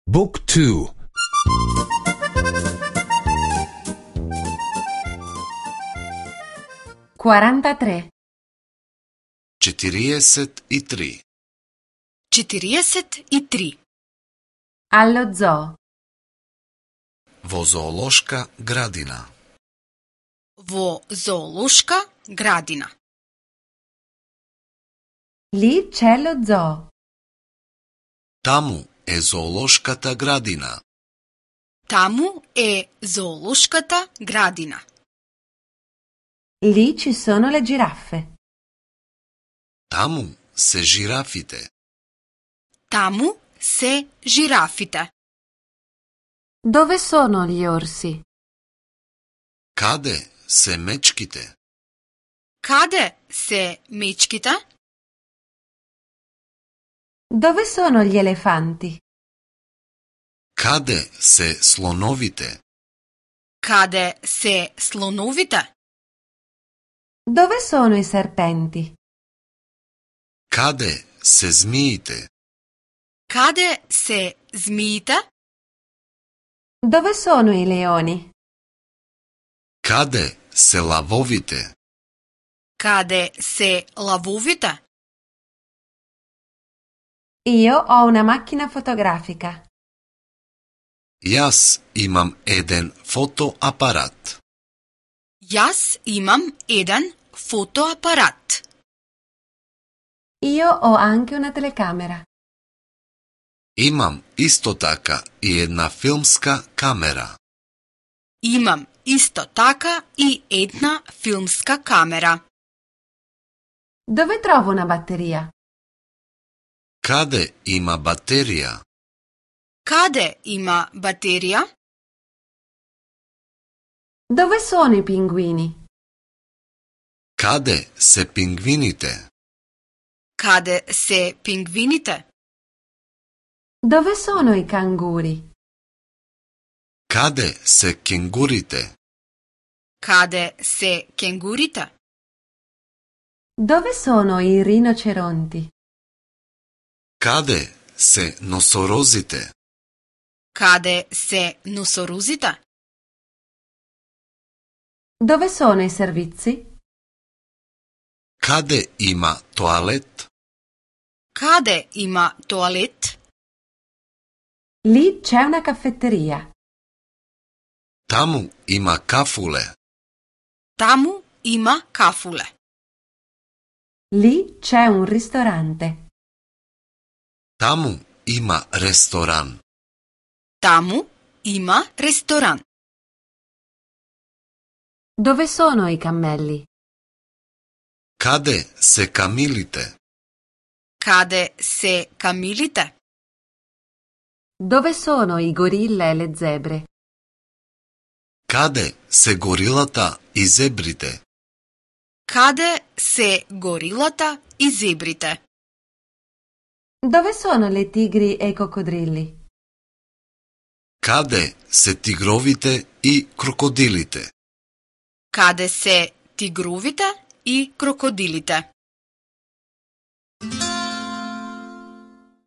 Book 2. 43. 43. 43. Allo zoo. Во зоолошка градина. Во зоолошка градина. Lì c'è lo zoo. Таму е зоолошката градина. Таму е зоолошката градина. Lì ci sono le giraffe. Таму се жирафите. Таму се жирафите. Dove sono gli orsi? Каде се мечките? Каде се мечките? Dove sono gli elefanti? Каде се слоновите? Каде се слоновите? Dove sono i serpenti? Каде се змиите? Каде се змиите? Dove sono i leoni? Каде се лавовите? Каде се лавовите? Io ho una macchina fotografica. Јас имам еден фотоапарат. Јас имам еден фотоапарат. Io ho anche una telecamera. Имам исто така и една филмска камера. Имам исто така и една филмска камера. Dove trovo una batteria? Каде има батерија? Каде има батерија? Dove sono i pinguini? Каде се пингвините? Каде се пингвините? Dove sono i canguri? Каде се кенгурите? Каде се кенгурите? Dove sono i rinoceronti? Каде се носорозите? Каде се носорозите? Dove sono i servizi? Каде има тоалет? Каде има тоалет? Lì c'è una caffetteria. Таму има кафуле. Таму има кафуле. Lì c'è un ristorante. Таму има ресторан. Таму има ресторан. Dove sono i cammelli? Каде се камилите? Каде се камилите? Dove sono i gorilla e le zebre? Каде се горилата и зебрите? Каде се горилата и зебрите? Dove sono le tigri e i coccodrilli? Каде се тигровите и крокодилите? Каде се тигровите и крокодилите?